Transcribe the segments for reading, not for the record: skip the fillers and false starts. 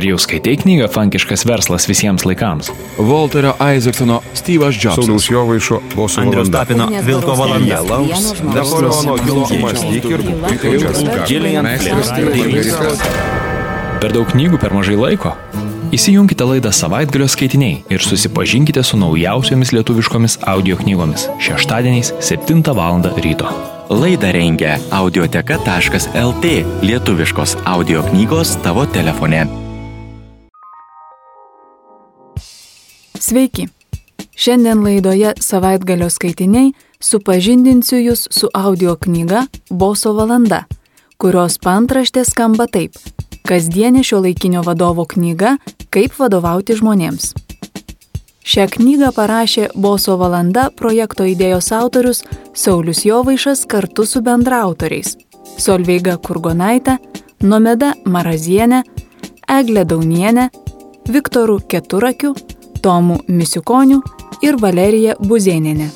Ar jau skaitei knygą Fankiškas verslas visiems laikams? Walterio Isaacsono Steve'as Jobsas. Sauliaus Jovaišo Boso Andriaus valanda. Tapino Vilko valanda. Napoleono Hilo mąstyk ir Per daug knygų per mažai laiko? Įsijunkite laidą Savaitgalio skaitiniai ir susipažinkite su naujausiomis lietuviškomis audio knygomis šeštadieniais 7 val. Ryto. Laidą rengia audioteka.lt, lietuviškos audio knygos tavo telefone. Sveiki! Šiandien laidoje Savaitgalio skaitiniai supažindinsiu jūs su audio knyga Boso valanda, kurios paantraštė skamba taip: kasdienė šiuolaikinio vadovo knyga Kaip vadovauti žmonėms. Šią knygą parašė Boso valanda projekto idėjos autorius Saulius Jovaišas kartu su bendraautoriais Solveiga Kurgonaitė, Nomeda Marazienė, Eglė Daunienė, Viktoru Keturakiu, Tomu Misiukoniu ir Valerija Buzėnienė.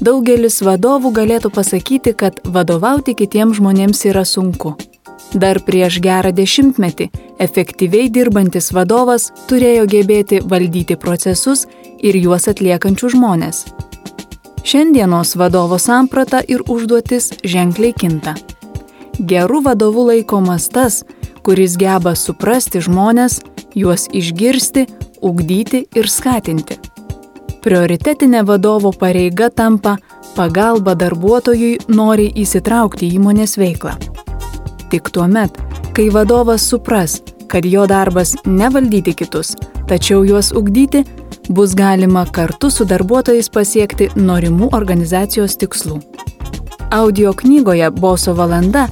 Daugelis vadovų galėtų pasakyti, kad vadovauti kitiems žmonėms yra sunku. Dar prieš gerą 10 metį efektyviai dirbantis vadovas turėjo gebėti valdyti procesus ir juos atliekančių žmonės. Šiandienos vadovo samprata ir užduotis ženkliai kinta. Gerų vadovų laikomas tas, kuris geba suprasti žmones, juos išgirsti, ugdyti ir skatinti. Prioritetinė vadovo pareiga tampa pagalba darbuotojui noriai įsitraukti į įmonės veiklą. Tik tuomet, kai vadovas supras, kad jo darbas ne valdyti kitus, tačiau juos ugdyti, bus galima kartu su darbuotojais pasiekti norimų organizacijos tikslų. Audio knygoje Boso valanda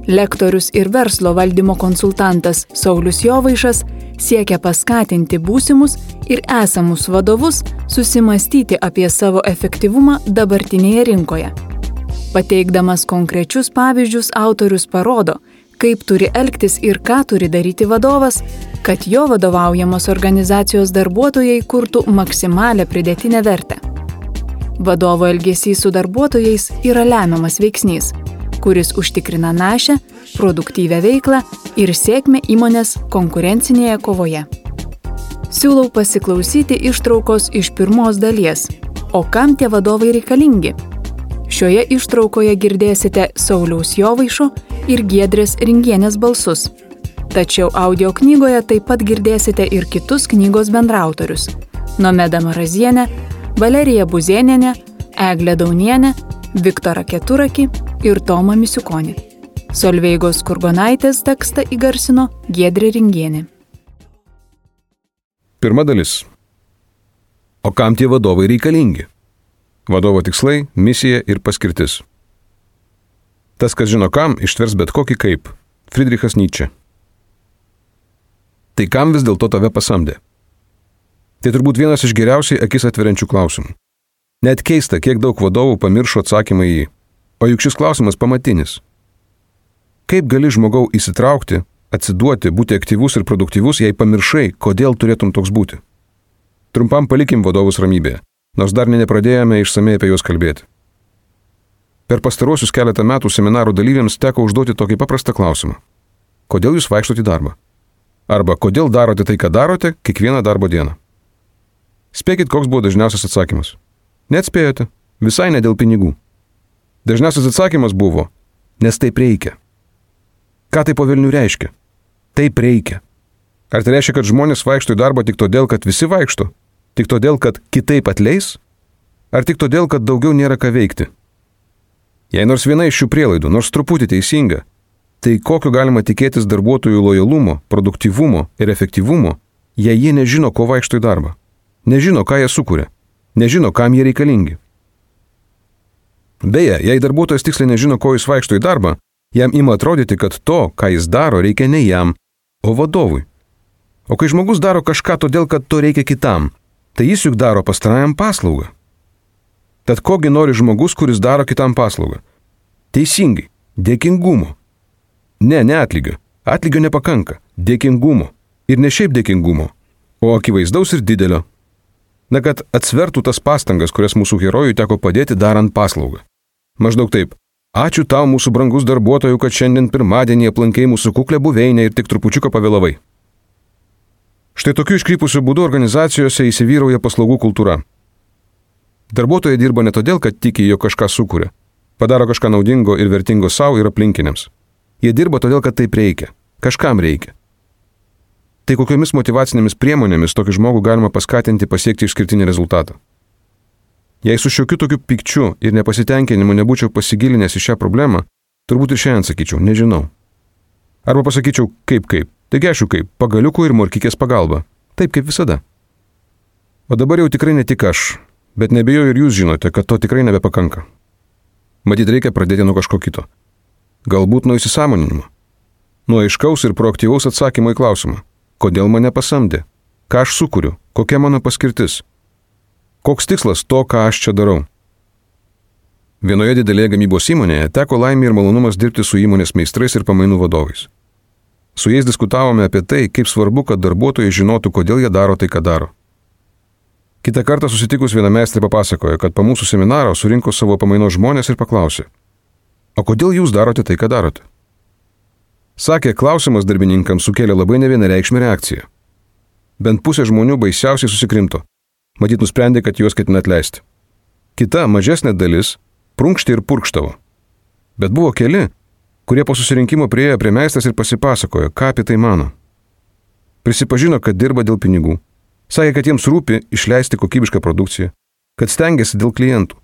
lektorius ir verslo valdymo konsultantas Saulius Jovaišas siekia paskatinti būsimus ir esamus vadovus susimastyti apie savo efektyvumą dabartinėje rinkoje. Pateikdamas konkrečius pavyzdžius, autorius parodo, kaip turi elgtis ir ką turi daryti vadovas, kad jo vadovaujamos organizacijos darbuotojai kurtų maksimalią pridėtinę vertę. Vadovo elgesys su darbuotojais yra lemiamas veiksnys, kuris užtikrina našę, produktyvią veiklą ir sėkmę įmonės konkurencinėje kovoje. Siūlau pasiklausyti ištraukos iš pirmos dalies. O kam tie vadovai reikalingi? Šioje ištraukoje girdėsite Sauliaus Jovaišo ir Giedrės Ringienės balsus. Tačiau audio knygoje taip pat girdėsite ir kitus knygos bendraautorius – Nomeda Marazienę, Valeriją Buzėnienę, Eglę Daunienę, Viktorą Keturakį ir Tomą Misiukonį. Solveigos Kurgonaitės tekstą įgarsino Giedrė Ringienė. Pirma dalis. O kam tie vadovai reikalingi? Vadovo tikslai, misija ir paskirtis. Tas, kas žino kam, ištvers bet kokį kaip. Friedrichas Nietzsche. Tai kam vis dėlto tave pasamdė? Tai turbūt vienas iš geriausiai akis atveriančių klausimų. Net keista, kiek daug vadovų pamiršo atsakymą į jį. O juk šis klausimas pamatinis. Kaip gali žmogau įsitraukti, atsiduoti, būti aktyvus ir produktyvus, jei pamiršai, kodėl turėtum toks būti? Trumpam palikim vadovus ramybėje, nors dar nepradėjome išsamei apie juos kalbėti. Per pastaruosius keletą metų seminarų dalyviams teko užduoti tokį paprastą klausimą. Kodėl jūs vaikštote į darbą? Arba kodėl darote tai, ką darote, kiekvieną darbo dieną? Spėkit, koks buvo dažniausias atsakymas. Neatspėjote, visai ne dėl pinigų. Dažniausias atsakymas buvo, nes taip reikia. Ką tai po velnių reiškia? Taip reikia. Ar tai reiškia, kad žmonės vaikšto į darbą tik todėl, kad visi vaikšto? Tik todėl, kad kitaip atleis? Ar tik todėl, kad daugiau nėra ką veikti? Jei nors viena iš šių prielaidų, nors truputį teisinga, tai kokio galima tikėtis darbuotojų lojalumo, produktyvumo ir efektyvumo, jei jie nežino, ko vaikšto į darbą? Nežino, ką jie sukuria. Nežino, kam jie reikalingi. Beje, jei darbuotojas tiksliai nežino, ko jis vaikšto į darbą, jam ima atrodyti, kad to, ką jis daro, reikia ne jam, o vadovui. O kai žmogus daro kažką todėl, kad to reikia kitam, tai jis juk daro pastarajam paslaugą. Tad kogi nori žmogus, kuris daro kitam paslaugą? Teisingai, dėkingumo. Ne atlygio. Atlygio nepakanka. Dėkingumo. Ir ne šiaip dėkingumo, o akivaizdaus ir didelio. Na, kad atsvertų tas pastangas, kurias mūsų herojui teko padėti darant paslaugą. Maždaug taip. Ačiū tau, mūsų brangus darbuotojų, kad šiandien pirmadienį aplankei mūsų kuklę buveinę ir tik trupučiuką pavėlavai. Štai tokiu iškrypusiu būdu organizacijose įsivyrauja paslaugų kultūra. Darbuotojai dirba ne todėl, kad tiki, jog kažką sukuria, padaro kažką naudingo ir vertingo savo ir aplinkiniams. Jie dirba todėl, kad taip reikia, kažkam reikia. Tai kokiomis motyvacinėmis priemonėmis tokį žmogų galima paskatinti pasiekti išskirtinį rezultatą? Jei su šiokiu tokiu pykčiu ir nepasitenkinimu nebūčiau pasigilinęs į šią problemą, turbūt ir šiandien sakyčiau, nežinau. Arba pasakyčiau, kaip, taigi aišku kaip, pagaliukų ir morkikės pagalba, taip kaip visada. O dabar jau tikrai ne tik aš, bet nebejoju ir jūs žinote, kad to tikrai nebepakanka. Matyt, reikia pradėti nuo kažko kito. Galbūt nuo įsisąmoninimo. Nuo aiškaus ir proaktyvaus atsakymo į klausimą. Kodėl mane pasamdė? Ką aš sukuriu? Kokia mano paskirtis? Koks tikslas to, ką aš čia darau? Vienoje didelėje gamybos įmonėje teko laimė ir malonumas dirbti su įmonės meistrais ir pamainų vadovais. Su jais diskutavome apie tai, kaip svarbu, kad darbuotojai žinotų, kodėl jie daro tai, ką daro. Kitą kartą susitikus viena meistrė papasakojo, kad po mūsų seminaro surinko savo pamainos žmonės ir paklausė, o kodėl jūs darote tai, ką darote? Sakė, klausimas darbininkams sukėlė labai nevienareikšmę reakciją. Bent pusė žmonių baisiausiai susikrimto. Matyt, nusprendė, kad juos ketina atleisti. Kita, mažesnė dalis, prunkštė ir purkštavo. Bet buvo keli, kurie po susirinkimo priėjo prie meistrės ir pasipasakojo, ką apie tai mano. Prisipažino, kad dirba dėl pinigų. Sakė, kad jiems rūpi išleisti kokybišką produkciją, kad stengiasi dėl klientų.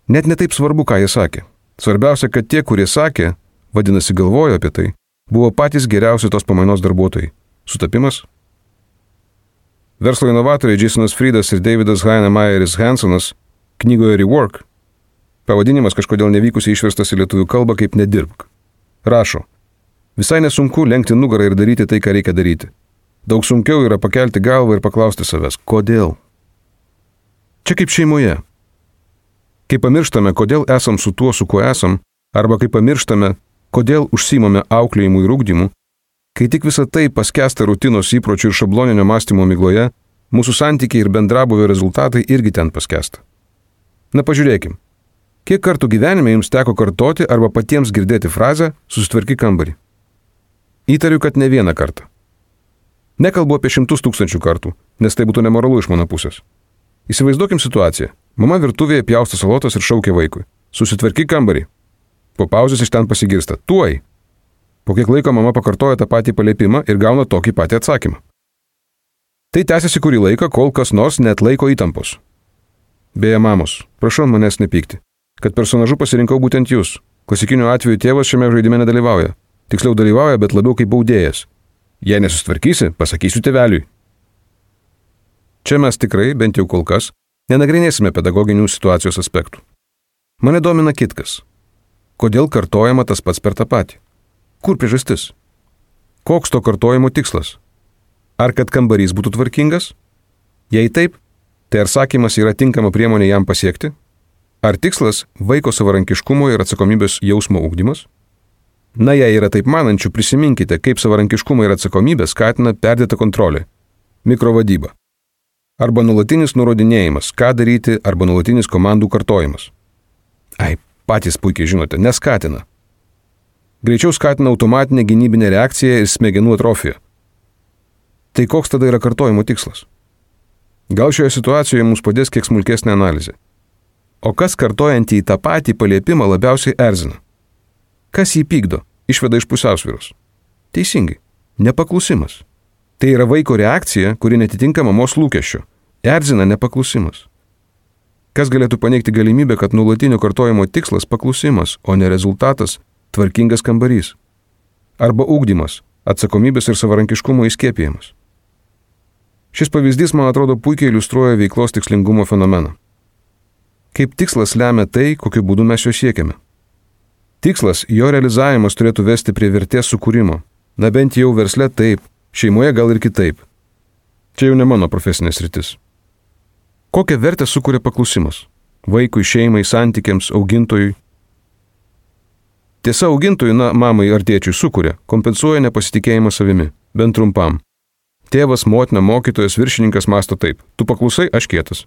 Net netaip svarbu, ką jie sakė. Svarbiausia, kad tie, kurie sakė, vadinasi galvojo apie tai, buvo patys geriausi tos pamainos darbuotojai. Sutapimas? Verslo inovatoriai Jasonas Friedas ir Davidas Heinemyeris Hansonas knygoje Rework, pavadinimas kažkodėl nevykusiai išverstas į lietuvių kalbą kaip nedirbk, rašo, visai nesunku lenkti nugarą ir daryti tai, ką reikia daryti. Daug sunkiau yra pakelti galvą ir paklausti savęs, kodėl? Čia kaip šeimoje. Kai pamirštame, kodėl esam su tuo, su kuo esam, arba kai pamirštame, kodėl užsiimame auklėjimu ir ugdymu, kai tik visą tai paskęsta rutinos įpročių ir šabloninio mąstymo migloje, mūsų santykiai ir bendrabuvio rezultatai irgi ten paskęsta. Na pažiūrėkim, kiek kartų gyvenime jums teko kartoti arba patiems girdėti frazę susitvarkyk kambarį? Įtariu, kad ne vieną kartą. Nekalbu apie 100 000 kartų, nes tai būtų nemoralu iš mano pusės. Įsivaizduokim situaciją. Mama virtuvėje pjausto salotas ir šaukia vaikui. Susitvarkyk kambarį. Po pauzės iš ten pasigirsta. Tuoj. Po kiek laiko mama pakartoja tą patį paliepimą ir gauna tokį patį atsakymą. Tai tęsiasi kurį laiką, kol kas nors net laiko įtampos. Beje, mamos, prašau manęs nepykti, kad personažu pasirinkau būtent jūs. Klasikiniu atveju tėvas šiame žaidime nedalyvauja. Tiksliau dalyvauja, bet labiau kaip baudėjas. Jei nesusitvarkysi, pasakysiu tėveliui. Čia mes tikrai, bent jau kol kas, nenagrinėsime pedagoginių situacijos aspektų. Mane domina kitkas. Kodėl kartojama tas pats per tą patį? Kur priežastis? Koks to kartojimo tikslas? Ar kad kambarys būtų tvarkingas? Jei taip, tai ar sakymas yra tinkama priemonė jam pasiekti? Ar tikslas vaiko savarankiškumo ir atsakomybės jausmo ugdymas? Na, jei yra taip manančių, prisiminkite, kaip savarankiškumą ir atsakomybę skatina perdėta kontrolė, mikrovadyba. Arba nuolatinis nurodinėjimas, ką daryti, arba nuolatinis komandų kartojimas. Patys puikiai žinote, neskatina. Greičiau skatina automatinę gynybinę reakciją ir smegenų atrofiją. Tai koks tada yra kartojimo tikslas? Gal šioje situacijoje mums padės kiek smulkesnė analizė. O kas kartojantį į tą patį paliepimą labiausiai erzina? Kas jį pykdo, išveda iš pusiausvyros? Teisingai, nepaklusimas. Tai yra vaiko reakcija, kuri netitinka mamos lūkesčio. Erzina nepaklusimas. Kas galėtų paneigti galimybę, kad nuolatinio kartojimo tikslas paklusimas, o ne rezultatas tvarkingas kambarys? Arba ugdymas, atsakomybės ir savarankiškumo įskiepijimas. Šis pavyzdys, man atrodo, puikiai iliustruoja veiklos tikslingumo fenomeną. Kaip tikslas lemia tai, kokiu būdu mes jo siekiame. Tikslas, jo realizavimas turėtų vesti prie vertės sukūrimo. Na bent jau versle taip, šeimoje gal ir kitaip. Čia jau ne mano profesinė sritis. Kokią vertę sukuria paklusimas? Vaikui, šeimai, santykiams, augintojui. Tiesa, augintojui, mamai ar tėčiui sukuria, kompensuoja nepasitikėjimą savimi, bent trumpam. Tėvas, motina, mokytojas, viršininkas mąsto taip. Tu paklusai, aš kietas.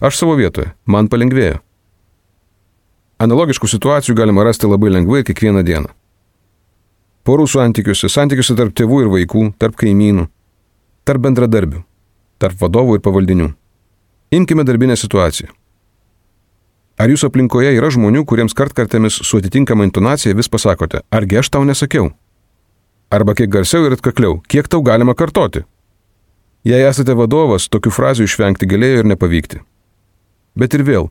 Aš savo vietoje, man palengvėjo. Analogiškų situacijų galima rasti labai lengvai kiekvieną dieną. Porų santykiuose tarp tėvų ir vaikų, tarp kaimynų. tarp bendradarbių, tarp vadovų ir pavaldinių. Imkime darbinę situaciją. Ar jūsų aplinkoje yra žmonių, kuriems kartkartėmis su atitinkama intonacija vis pasakote, argi aš tau nesakiau? Arba kiek garsiau ir atkakliau, kiek tau galima kartoti? Jei esate vadovas, tokių frazių išvengti galėjo ir nepavykti. Bet ir vėl,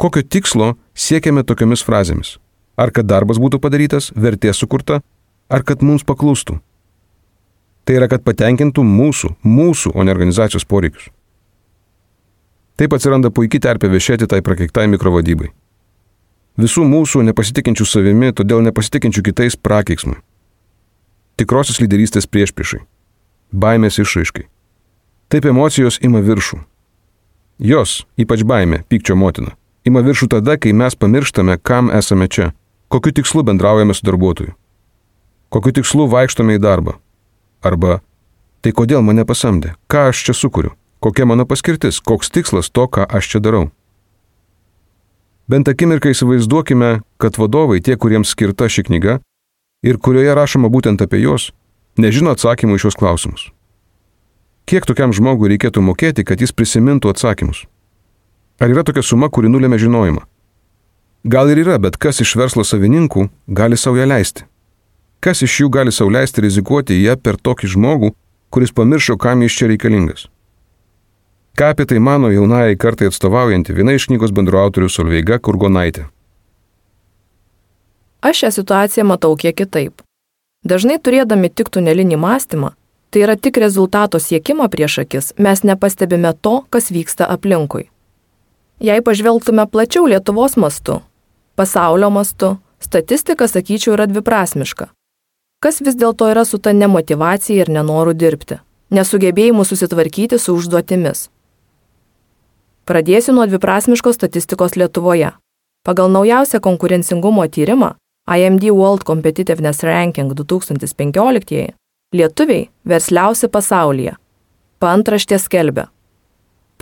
kokio tikslo siekiame tokiomis frazėmis? Ar kad darbas būtų padarytas, vertė sukurta, ar kad mums paklustų? Tai yra, kad patenkintų mūsų, o ne organizacijos poreikius. Taip atsiranda puikiai terpė viešėti tai prakeiktai mikrovadybai. Visų mūsų nepasitikinčių savimi, todėl nepasitikinčių kitais prakeiksmui. Tikrosios lyderystės priešpriešai. Baimės išraiškai. Taip emocijos ima viršų. Jos, ypač baimė, pykčio motina, ima viršų tada, kai mes pamirštame, kam esame čia, kokiu tikslu bendraujame su darbuotoju, kokiu tikslu vaikštome į darbą. Arba, tai kodėl mane pasamdė, ką aš čia sukuriu, kokia mano paskirtis, koks tikslas to, ką aš čia darau. Bent akimirką įsivaizduokime, kad vadovai, tie, kuriems skirta ši knyga ir kurioje rašoma būtent apie juos, nežino atsakymų į šios klausimus. Kiek tokiam žmogui reikėtų mokėti, kad jis prisimintų atsakymus? Ar yra tokia suma, kuri nulėmė žinojimą? Gal ir yra, bet kas iš verslo savininkų gali sau ją leisti? Kas iš jų gali sau leisti rizikuoti ją per tokį žmogų, kuris pamiršo, kam jis čia reikalingas? Ką apie tai mano jaunajai kartai atstovaujanti viena iš knygos bendraautorių Solveiga Kurgonaitė? Aš šią situaciją matau kiek kitaip. Dažnai turėdami tik tunelinį mąstymą, tai yra tik rezultato siekimo prieš akis, mes nepastebime to, kas vyksta aplinkui. Jei pažvelgtume plačiau Lietuvos mastu, pasaulio mastu, statistika, sakyčiau, yra dviprasmiška. Kas vis dėlto yra su ta nemotyvacija ir nenoru dirbti, nesugebėjimu susitvarkyti su užduotimis? Pradėsiu nuo dviprasmiškos statistikos Lietuvoje. Pagal naujausią konkurencingumo tyrimą IMD World Competitiveness Ranking 2015 lietuviai versliausi pasaulyje. Paantraštė skelbia.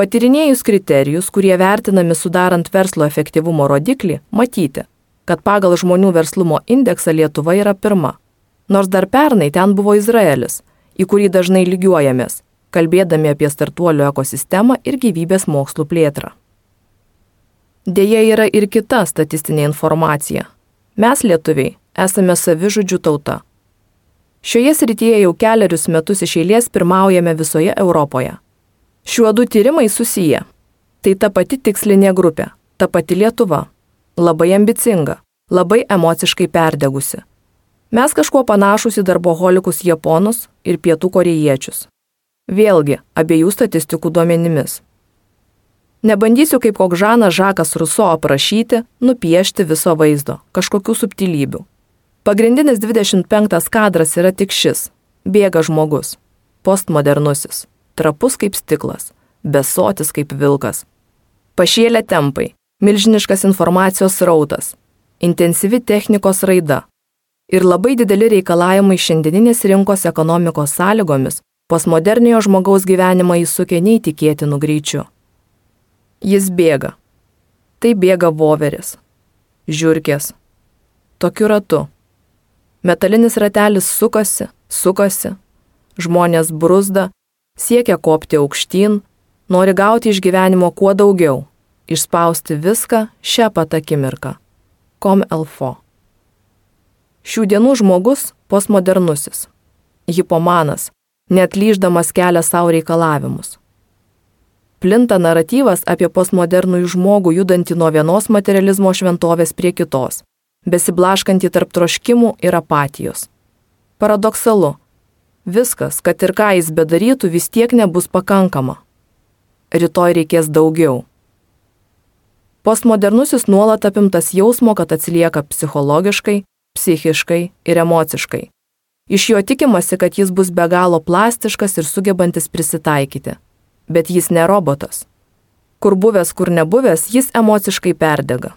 Patyrinėjus kriterijus, kurie vertinami sudarant verslo efektyvumo rodiklį, matyti, kad pagal žmonių verslumo indeksą Lietuva yra pirma. Nors dar pernai ten buvo Izraelis, į kurį dažnai lygiuojamės, kalbėdami apie startuolių ekosistemą ir gyvybės mokslų plėtrą. Deja yra ir kita statistinė informacija. Mes, lietuviai, esame savižudžių tauta. Šioje srityje jau kelerius metus iš eilės pirmaujame visoje Europoje. Šiuo du tyrimai susiję. Tai ta pati tikslinė grupė, ta pati Lietuva. Labai ambicinga, labai emociškai perdegusi. Mes kažkuo panašus į darboholikus japonus ir pietų korėjiečius. Vėlgi, abiejų statistikų duomenimis. Nebandysiu kaip koks Žanas Žakas Ruso aprašyti, nupiešti viso vaizdo, kažkokių subtilybių. Pagrindinis 25 kadras yra tik šis. Bėga žmogus. Postmodernusis. Trapus kaip stiklas. Besotis kaip vilkas. Pašėlę tempai. Milžiniškas informacijos srautas. Intensyvi technikos raida. Ir labai dideli reikalavimai šiandieninės rinkos ekonomikos sąlygomis postmoderniojo žmogaus gyvenimą įsukę neįtikėtinų greičių. Jis bėga. Tai bėga voveris. Žiurkės. Tokiu ratu. Metalinis ratelis sukasi. Žmonės bruzda, siekia kopti aukštyn, nori gauti iš gyvenimo kuo daugiau, išspausti viską šią pat akimirką. Comme il faut. Šių dienų žmogus postmodernusis. Hipomanas, neatlyždamas kelia savo reikalavimus. Plinta naratyvas apie postmodernųjų žmogų judantį nuo vienos materializmo šventovės prie kitos, besiblaškantį tarp troškimų ir apatijos. Paradoksalu, viskas, kad ir ką jis bedarytų, vis tiek nebus pakankama. Rytoj reikės daugiau. Postmodernusis nuolat apimtas jausmo, kad atsilieka psichologiškai, psichiškai ir emociškai. Iš jo tikimasi, kad jis bus be galo plastiškas ir sugebantis prisitaikyti. Bet jis ne robotas. Kur buvęs, kur nebuvęs, jis emociškai perdega.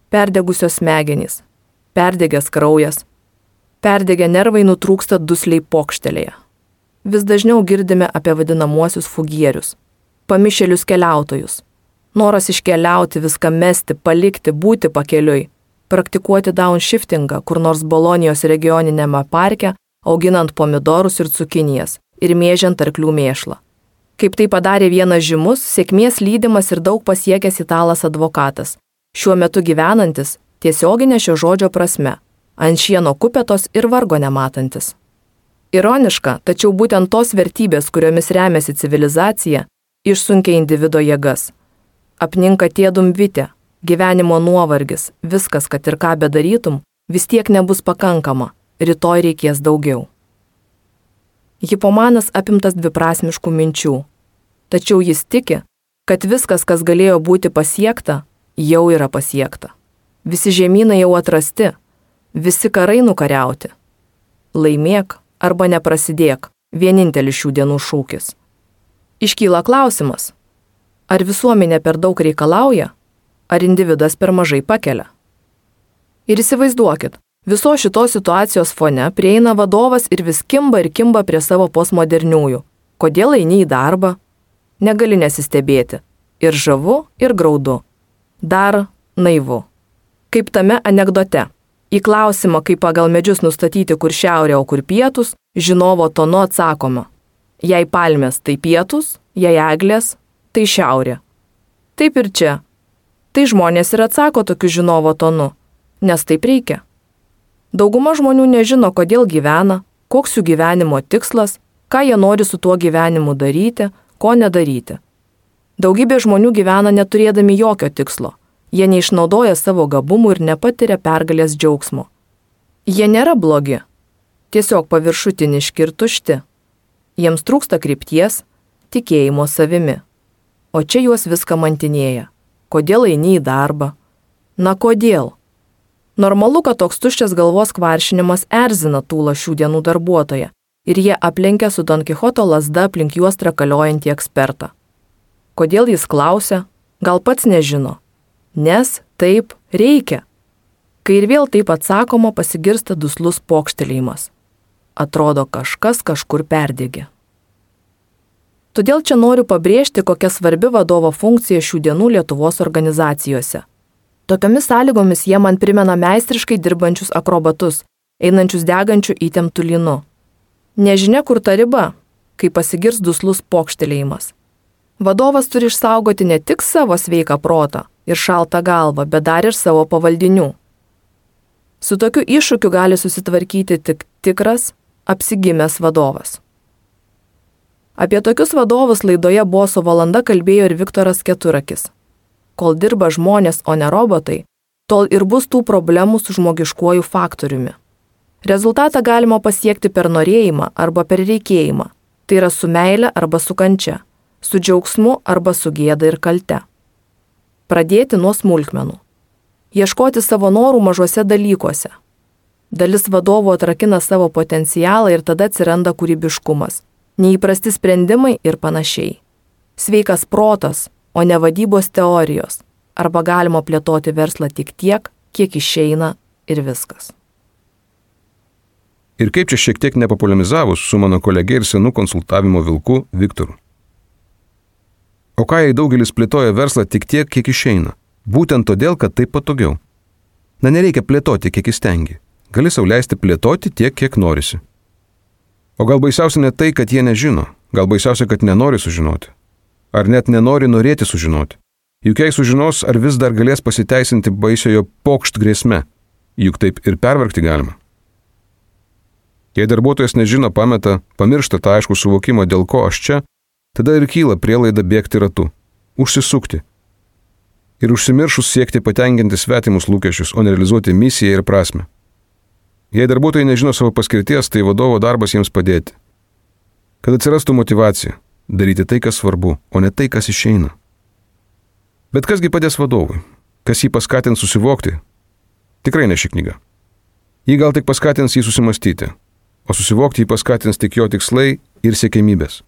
Perdegusios smegenys, perdegęs kraujas, perdegę nervai nutrūksta dusliai pokštelėje. Vis dažniau girdime apie vadinamuosius fugierius, pamišėlius keliautojus. Noras iškeliauti, viską mesti, palikti, būti pakeliui, praktikuoti downshiftingą kur nors Bolonijos regioninėme parke, auginant pomidorus ir cukinijas ir mėžiant arklių mėšlą. Kaip tai padarė vienas žymus, sėkmės lydimas ir daug pasiekęs italas advokatas, šiuo metu gyvenantis, tiesioginė šio žodžio prasme, ant šieno kupetos ir vargo nematantis. Ironiška, tačiau būtent tos vertybės, kuriomis remiasi civilizacija, išsunkia individo jėgas. Apninka tėdum vitė, gyvenimo nuovargis, viskas, kad ir ką bedarytum, vis tiek nebus pakankama, rytoj reikės daugiau. Hipomanas apimtas dviprasmiškų minčių, tačiau jis tiki, kad viskas, kas galėjo būti pasiekta, jau yra pasiekta. Visi žemynai jau atrasti, visi karai nukariauti. Laimėk arba neprasidėk, vienintelis šių dienų šūkis. Iškyla klausimas, ar visuomenė per daug reikalauja, ar individas per mažai pakelia. Ir įsivaizduokit, viso šitos situacijos fone prieina vadovas ir vis kimba prie savo postmoderniųjų. Kodėl eini į darbą? Negali nesistebėti. Ir žavu, ir graudu. Dar naivu. Kaip tame anekdote. Į klausimą, kaip pagal medžius nustatyti, kur šiaurė, o kur pietus, žinovo tonu atsakoma. Jei palmės, tai pietus, jei eglės, tai šiaurė. Taip ir čia. Tai žmonės ir atsako tokiu žinovo tonu, nes taip reikia. Dauguma žmonių nežino, kodėl gyvena, koks jų gyvenimo tikslas, ką jie nori su tuo gyvenimu daryti, ko nedaryti. Daugybė žmonių gyvena neturėdami jokio tikslo. Jie neišnaudoja savo gabumų ir nepatiria pergalės džiaugsmo. Jie nėra blogi, tiesiog paviršutiniški ir tušti. Jiems trūksta krypties, tikėjimo savimi. O čia juos viską mantinėja. Kodėl eini į darbą? Na kodėl? Normalu, kad toks tuščias galvos kvaršinimas erzina tūlą šių dienų darbuotoją ir jie aplenkia su Don Kichoto lazda aplink juos trakaliojantį ekspertą. Kodėl jis klausia? Gal pats nežino. Nes taip reikia. Kai ir vėl taip atsakoma, pasigirsta duslus pokštelėjimas. Atrodo, kažkas kažkur perdegė. Todėl čia noriu pabrėžti, kokia svarbi vadovo funkcija šių dienų Lietuvos organizacijose. Tokiomis sąlygomis jie man primena meistriškai dirbančius akrobatus, einančius degančių įtemptų lynu. Nežinia, kur ta riba, kai pasigirs duslus pokštelėjimas. Vadovas turi išsaugoti ne tik savo sveiką protą ir šaltą galvą, bet dar ir savo pavaldinių. Su tokiu iššūkiu gali susitvarkyti tik tikras, apsigimęs vadovas. Apie tokius vadovus laidoje Boso valanda kalbėjo ir Viktoras Keturakis. Kol dirba žmonės, o ne robotai, tol ir bus tų problemų su žmogiškuoju faktoriumi. Rezultatą galima pasiekti per norėjimą arba per reikėjimą, tai yra su meile arba su kančia, su džiaugsmu arba su gėda ir kalte. Pradėti nuo smulkmenų. Ieškoti savo norų mažuose dalykuose. Dalis vadovų atrakina savo potencialą ir tada atsiranda kūrybiškumas, neįprasti sprendimai ir panašiai. Sveikas protas, o ne vadybos teorijos, arba galima plėtoti verslą tik tiek, kiek išeina ir viskas. Ir kaip čia šiek tiek nepopuliarizavus su mano kolege ir senu konsultavimo vilku Viktoru. O ką jei daugelis plėtoja verslą tik tiek, kiek išeina? Būtent todėl, kad taip patogiau. Na, nereikia plėtoti, kiek įstengi. Gali sau leisti plėtoti tiek, kiek norisi. O gal baisiausia ne tai, kad jie nežino. Gal baisiausia, kad nenori sužinoti. Ar net nenori norėti sužinoti. Juk jei sužinos, ar vis dar galės pasiteisinti baisiojo pokšt grėsme. Juk taip ir pervargti galima. Jei darbuotojas nežino, pameta, pamiršta tą aiškų suvokimą, dėl ko aš čia, tada ir kyla prielaida bėgti ratu, užsisukti. Ir užsimiršus siekti patenkinti svetimus lūkesčius, o ne realizuoti misiją ir prasmę. Jei darbuotojai nežino savo paskirties, tai vadovo darbas jiems padėti. Kad atsirastų motyvacija, daryti tai, kas svarbu, o ne tai, kas išeina. Bet kasgi padės vadovui? Kas jį paskatins susivokti? Tikrai ne ši knyga. Ji gal tik paskatins jį susimastyti, o susivokti jį paskatins tik jo tikslai ir siekiamybės.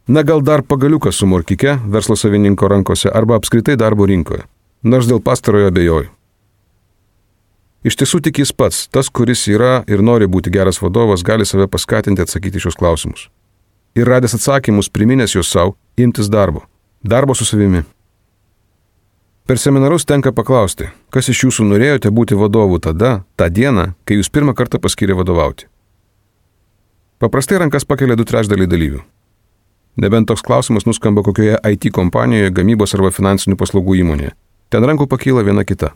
Na gal dar pagaliukas su morkike verslo savininko rankose arba apskritai darbo rinkoje, nors dėl pastarojo abejoju. Iš tiesų tik jis pats, tas, kuris yra ir nori būti geras vadovas, gali save paskatinti atsakyti šios klausimus. Ir radęs atsakymus, priminęs juos savo, imtis darbo su savimi. Per seminarus tenka paklausti, kas iš jūsų norėjote būti vadovu tada, tą dieną, kai jūs pirmą kartą paskyrė vadovauti. Paprastai rankas pakelia 2/3 dalyvių. Nebent toks klausimas nuskamba kokioje IT kompanijoje, gamybos arba finansinių paslaugų įmonėje. Ten rankų pakyla viena kita.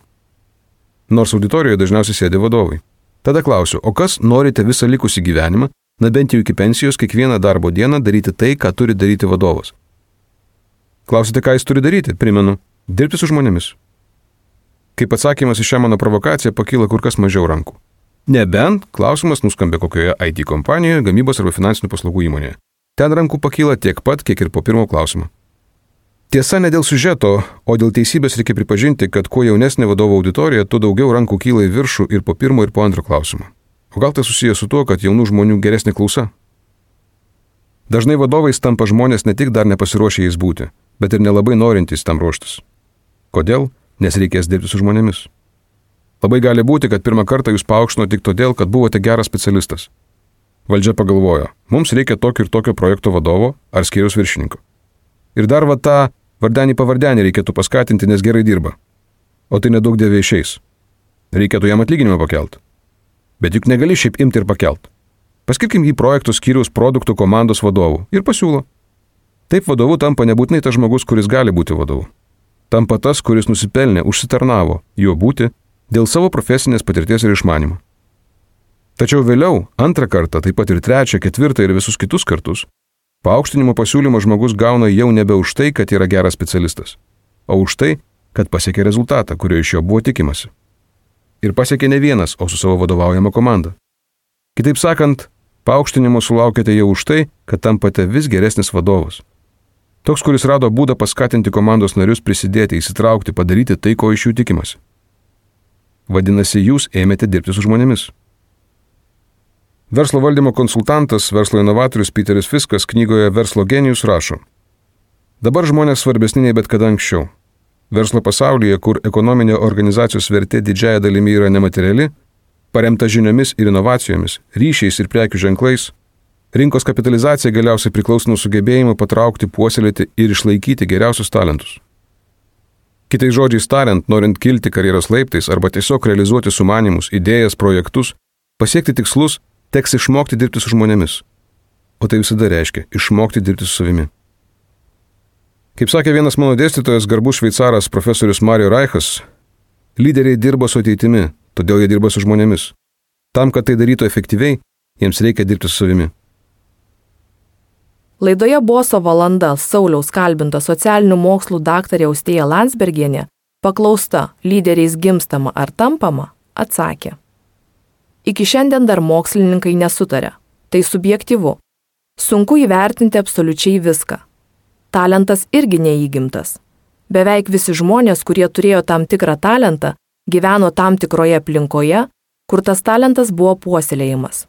Nors auditorijoje dažniausiai sėdi vadovai. Tada klausiu, o kas norite visą likusį gyvenimą, na bent jau iki pensijos, kiekvieną darbo dieną daryti tai, ką turi daryti vadovas? Klausite, ką jis turi daryti? Primenu, dirbti su žmonėmis. Kaip atsakymas į šią mano provokaciją pakyla kur kas mažiau rankų. Nebent klausimas nuskambė kokioje IT kompanijoje, gamybos arba finansinių paslaugų įmonėje. Ten rankų pakyla tiek pat, kiek ir po pirmo klausimo. Tiesa, ne dėl siužeto, o dėl teisybės reikia pripažinti, kad kuo jaunesnė vadovo auditorija, tuo daugiau rankų kyla į viršų ir po pirmo ir po antro klausimo. O gal tai susijęs su tuo, kad jaunų žmonių geresnė klausa? Dažnai vadovais tampa žmonės ne tik dar nepasiruošę jais būti, bet ir nelabai norintys tam ruoštis. Kodėl? Nes reikės dirbti su žmonėmis. Labai gali būti, kad pirmą kartą jūs paaukštino tik todėl, kad buvote geras specialistas. Valdžia pagalvojo, mums reikia tokio ir tokio projekto vadovo ar skyriaus viršininko. Ir dar va tą vardenį pavardenį reikėtų paskatinti, nes gerai dirba. O tai nedaug dievė išeis. Reikėtų jam atlyginimą pakelt. Bet juk negali šiaip imti ir pakelt. Paskirkim jį projektų skyriaus produktų komandos vadovų ir pasiūlo. Taip vadovu tampa nebūtinai tas žmogus, kuris gali būti vadovu. Tampa tas, kuris nusipelnė, užsitarnavo juo būti dėl savo profesinės patirties ir išmanimo. Tačiau vėliau, antrą kartą, taip pat ir trečią, ketvirtą ir visus kitus kartus, paaukštinimo pasiūlymo žmogus gauna jau nebe už tai, kad yra geras specialistas, o už tai, kad pasiekė rezultatą, kurio iš jo buvo tikimasi. Ir pasiekė ne vienas, o su savo vadovaujama komanda. Kitaip sakant, paaukštinimo sulaukėte jau už tai, kad tampate vis geresnis vadovas. Toks, kuris rado būdą paskatinti komandos narius prisidėti, įsitraukti, padaryti tai, ko iš jų tikimasi. Vadinasi, jūs ėmėte dirbti su žmonėmis. Verslo valdymo konsultantas, verslo inovatorius Peteris Fiskas knygoje Verslo genijus rašo: dabar žmonės svarbesni nei bet kada anksčiau. Verslo pasaulyje, kur ekonominė organizacijos vertė didžiaja dalimi yra nemateriali, paremta žiniomis ir inovacijomis, ryšiais ir prekių ženklais, rinkos kapitalizacija galiausiai priklauso nuo sugebėjimo patraukti, puoselėti ir išlaikyti geriausius talentus. Kitais žodžiais tariant, norint kilti karjeros laiptais arba tiesiog realizuoti sumanymus, idėjas, projektus, pasiekti tikslus, teks išmokti dirbti su žmonėmis. O tai visada reiškia išmokti dirbti su savimi. Kaip sakė vienas mano dėstytojas, garbus šveicaras profesorius Mario Reichas, lyderiai dirba su ateitimi, todėl jie dirba su žmonėmis. Tam, kad tai darytų efektyviai, jiems reikia dirbti su savimi. Laidoje Boso valanda Sauliaus kalbinta socialinių mokslų daktarė Austėja Landsbergienė, paklausta, lyderiais gimstama ar tampama, atsakė: iki šiandien dar mokslininkai nesutarė. Tai subjektyvu. Sunku įvertinti absoliučiai viską. Talentas irgi neįgimtas. Beveik visi žmonės, kurie turėjo tam tikrą talentą, gyveno tam tikroje aplinkoje, kur tas talentas buvo puoselėjimas.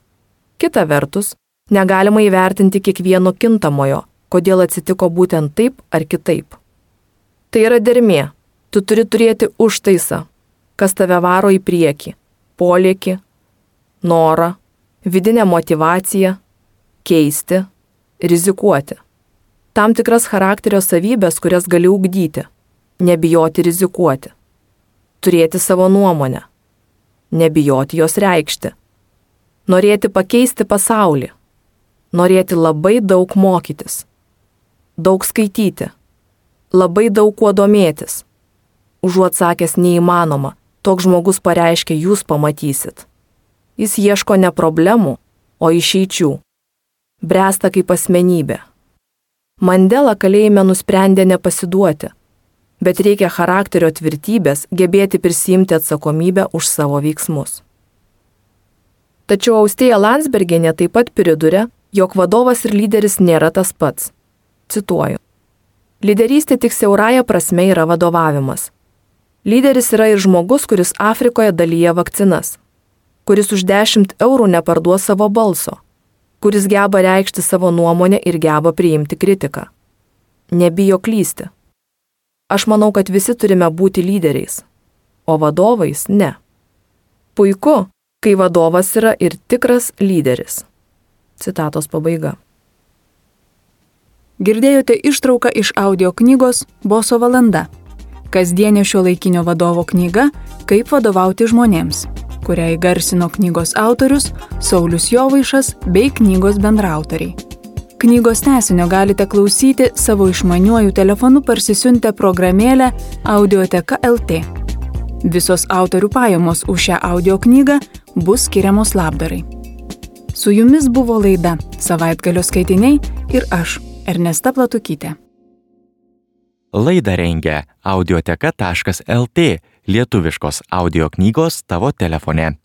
Kita vertus, negalima įvertinti kiekvieno kintamojo, kodėl atsitiko būtent taip ar kitaip. Tai yra dermė. Tu turi turėti užtaisą, kas tave varo į priekį, polėkį, norą, vidinę motyvaciją, keisti, rizikuoti. Tam tikras charakterio savybės, kurias gali ugdyti, nebijoti rizikuoti, turėti savo nuomonę, nebijoti jos reikšti, norėti pakeisti pasaulį, norėti labai daug mokytis, daug skaityti, labai daug kuo domėtis. Užuot sakęs neįmanoma, toks žmogus pareiškia, jūs pamatysit. Jis ieško ne problemų, o išeičių. Bręsta kaip asmenybė. Mandela kalėjime nusprendė nepasiduoti, bet reikia charakterio tvirtybės gebėti prisiimti atsakomybę už savo veiksmus. Tačiau Austėja Landsbergienė taip pat priduria, jog vadovas ir lyderis nėra tas pats. Cituoju. Lyderystė tik siaurąja prasme yra vadovavimas. Lyderis yra ir žmogus, kuris Afrikoje dalyja vakcinas, kuris už 10 eurų neparduos savo balso, kuris geba reikšti savo nuomonę ir geba priimti kritiką. Nebijo klysti. Aš manau, kad visi turime būti lyderiais, o vadovais ne. Puiku, kai vadovas yra ir tikras lyderis. Citatos pabaiga. Girdėjote ištrauką iš audio knygos Boso valanda. Kasdienė šiuolaikinio vadovo knyga Kaip vadovauti žmonėms. kurią įgarsino knygos autorius Saulius Jovaišas bei knygos bendraautoriai. Knygos tęsinio galite klausyti savo išmaniuoju telefonu parsisiuntę programėlę Audioteka LT. Visos autorių pajamos už šią audio knygą bus skiriamos labdarai. Su jumis buvo laida Savaitgalio skaitiniai ir aš, Ernesta Platukytė. Laidą rengia audioteka.lt, lietuviškos audio knygos tavo telefone.